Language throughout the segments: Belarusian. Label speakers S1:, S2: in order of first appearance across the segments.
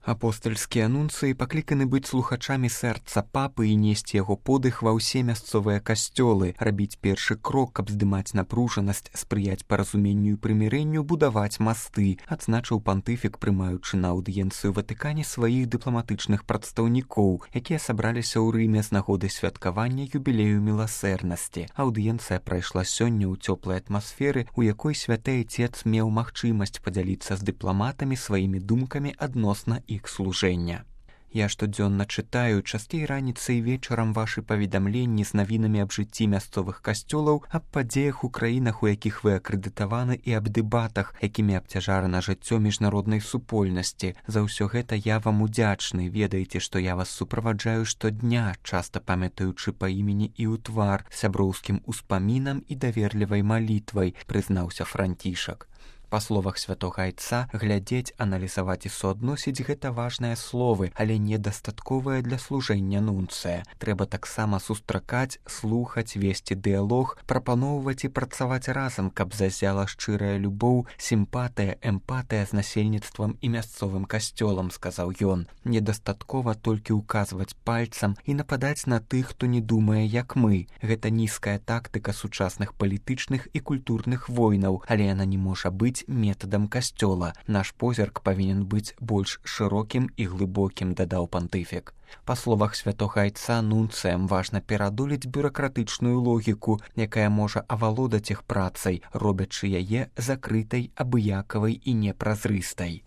S1: Апостальскія нунцыі пакліканы быць слухачамі сэрца папы і несці яго подых ва ўсе мясцовыя касцёлы, рабіць першы крок, каб здымаць напружанасць, спрыяць паразуменню і прымірэнню, будаваць масты, адзначыў пантыфік, прымаючы на аўдыенцыю Ватыкане сваіх дыпламатычных прадстаўнікоў, якія сабраліся ў Рыме з нагоды святкавання юбілею міласэрнасці. Аўдыенцыя прайшла сёння ў цёплай атмасферы, у якой святы Айцец меў магчымасць падзяліцца з дыпламатамі сваімі думкамі адносна іх служэння. Я штодзённа чытаю, часцей раніцай і вечарам вашы паведамленні з навінамі аб жыцці мясцовых касцёлаў, аб падзеях у краінах, у якіх вы акрэдытаваны, і аб дэбатах, якімі абцяжарана жыццё міжнароднай супольнасці. За ўсё гэта я вам удзячны. Ведаеце, што я вас суправаджаю штодня, часта памятаючы па імені і ў твар, сяброўскім успамінам і даверлівай малітвай, прызнаўся Францішак. Па словах святога Айца, глядзець, аналізаваць і суадносіць гэта важныя словы, але недастатковыя для служэння нунцыя. Трэба таксама сустракаць, слухаць, весці дыялог, прапаноўваць і працаваць разам, каб зазяла шчырая любоў, сімпатыя, эмпатыя з насельніцтвам і мясцовым касцёлам, сказаў ён. Недастаткова толькі ўказваць пальцам і нападаць на тых, хто не думае, як мы. Гэта нізкая тактыка сучасных палітычных і культурных войнаў, але яна не можа быць метадам касцёла. Наш позірк павінен быць больш шырокім і глыбокім, дадаў пантыфік. Па словах святога Айца, нунцыям важна перадолець бюракратычную логіку, якая можа авалодаць іх працай, робячы яе закрытай, абыякавай і непразрыстай.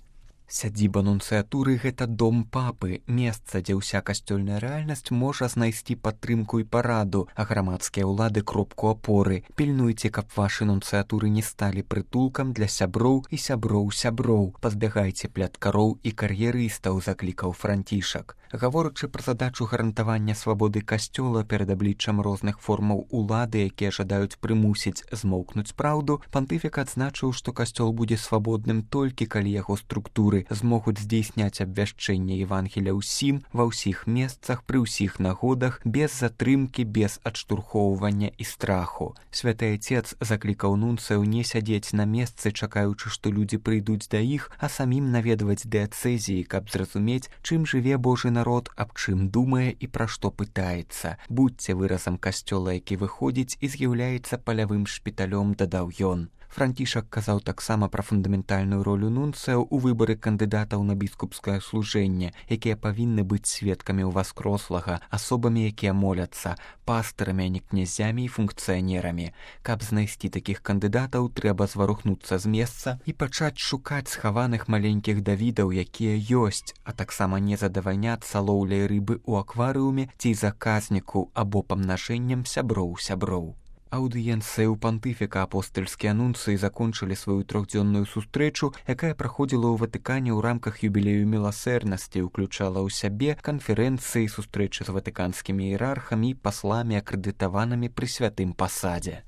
S1: Сядзіба нунцыятуры – гэта дом папы, месца, дзе ўся касцёльная рэальнасць можа знайсці падтрымку і параду, а грамадскія ўлады – кропку апоры. Пільнуйце, каб вашы нунцыятуры не сталі прытулкам для сяброў і сяброў-сяброў. Пазбягайце пляткароў і кар'ерыстаў, заклікаў Францішак. Гаворачы пра задачу гарантавання свабоды касцёла перад абліччам розных формаў улады, якія жадаюць прымусіць змоўкнуць праўду, пантыфік адзначыў, што касцёл будзе свабодным толькі калі яго структуры змогуць здзейсняць абвяшчэнне Евангелія ўсім, ва ўсіх месцах, пры ўсіх нагодах, без затрымкі, без адштурхоўвання і страху. Святы Айцец заклікаў нунцыяў не сядзець на месцы, чакаючы, што людзі прыйдуць да іх, а самім наведваць дыяцэзіі, каб зразумець, чым жыве Божы народ, аб чым думае і пра што пытаецца. Будзьце выразам касцёла, які выходзіць і з'яўляецца палявым шпіталём, дадаў ён. Францішак казаў таксама пра фундаментальную ролю нунцыяў у выбары кандыдатаў на біскупскае служэнне, якія павінны быць сведкамі ўваскрослага, асобамі, якія моляцца, пастырамі, а не князямі і функцыянерамі. Каб знайсці такіх кандыдатаў, трэба зварухнуцца з месца і пачаць шукаць схаваных маленькіх Давідаў, якія ёсць, а таксама не задавальняцца лоўляй рыбы ў акварыуме ці заказніку або памнажэннем сяброў-сяброў. Аўдыенцыя ў пантыфіка апостальскія нунцыі закончылі сваю трохдзённую сустрэчу, якая праходзіла ў Ватыкане ў рамках юбілею міласэрнасці, уключала ў сябе канферэнцыі, сустрэчы з ватыканскімі іерархамі і пасламі, акрэдытаванымі пры святым пасадзе.